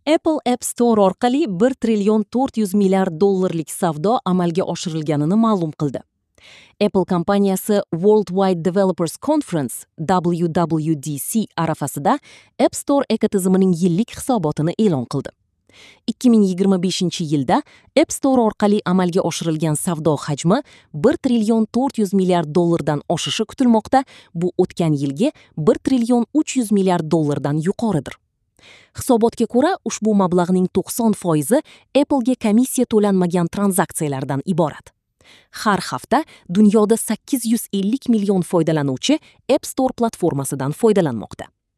Apple App Store orqali 1 trillion 400 milliard dollarlik savdo amalga oshirilganini ma'lum qildi. Apple kompaniyasi Worldwide Developers Conference WWDC arafasida App Store ekotizimining yillik hisobotini e'lon qildi. 2025-yilda App Store orqali amalga oshirilgan savdo hajmi 1 trillion 400 milliard dollardan oshishi kutilmoqda. Bu o'tgan yilgi 1 trillion 300 milliard dollardan yuqoridir. Hisobotga ko'ra, ushbu mablag'ning 90% Apple'ga komissiya to'lanmagan tranzaksiyalardan iborat. Har hafta dunyoda 850 million foydalanuvchi App Store platformasidan foydalanmoqda.